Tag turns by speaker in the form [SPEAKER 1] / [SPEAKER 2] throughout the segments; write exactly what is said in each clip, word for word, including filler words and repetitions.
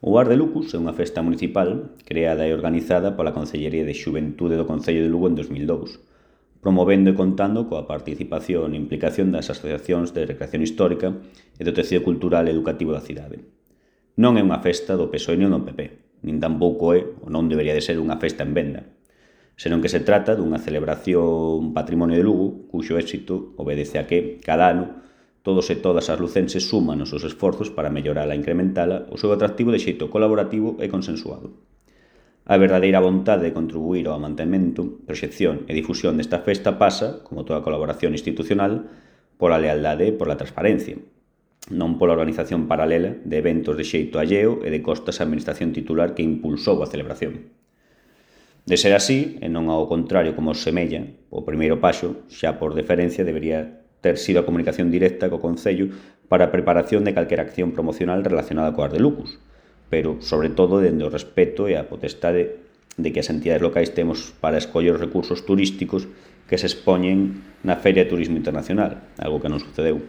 [SPEAKER 1] O Ar de Lucus é unha festa municipal creada e organizada pola Concellería de Xuventude do Concello de Lugo en dos mil dous, promovendo e contando coa participación e implicación das asociacións de recreación histórica e do tecido cultural e educativo da cidade. Non é unha festa do P S O E nin do P P, nin tampouco é, ou non debería de ser, unha festa en venda, senón que se trata dunha celebración patrimonio de Lugo, cuxo éxito obedece a que, cada ano, todos e todas as lucenses suman os seus esforzos para mellorala e incrementala o seu atractivo de xeito colaborativo e consensuado. A verdadeira vontade de contribuir ao mantemento, proxección e difusión desta festa pasa, como toda colaboración institucional, pola lealdade e pola transparencia, non pola organización paralela de eventos de xeito alleo e de costas á administración titular que impulsou a celebración. De ser así, e non ao contrario como os semella, o primeiro paso, xa por deferencia, debería ter sido a comunicación directa co Concello para a preparación de calquera acción promocional relacionada co Ar de Lucus, pero, sobre todo, dende o respeto e a potestade de que as entidades locais temos para escoller os recursos turísticos que se expoñen na Feria de Turismo Internacional, algo que non sucedeu.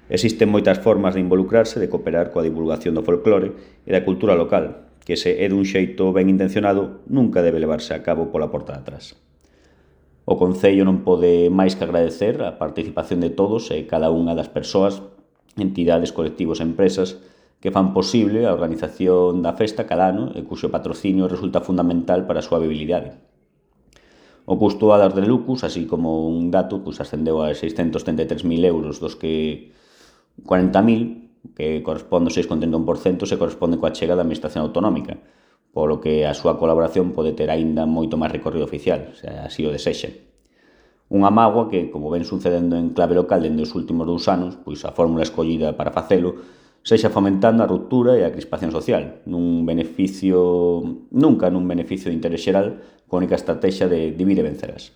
[SPEAKER 1] Existen moitas formas de involucrarse, de cooperar coa divulgación do folclore e da cultura local, que se é dun xeito ben intencionado nunca debe levarse a cabo pola porta de atrás. O Concello non pode máis que agradecer a participación de todos e cada unha das persoas, entidades, colectivos e empresas que fan posible a organización da festa cada ano e cuxo patrocinio resulta fundamental para a súa viabilidade. O custo do Ar de Lucus, así como un dato, pues, ascendeu a seiscentos trinta e tres mil euros, dos que cuarenta mil, que corresponde ao seis coma trinta e un por cento, se corresponde coa chega da Administración Autonómica, polo que a súa colaboración pode ter aínda moito máis recorrido oficial, se así o desexa. Unha mágoa que, como ven sucedendo en clave local dende os últimos dous anos, pois a fórmula escollida para facelo sexa fomentando a ruptura e a crispación social, nun beneficio, nunca nun beneficio de interés xeral, coa única estrategia de divide e vencerás.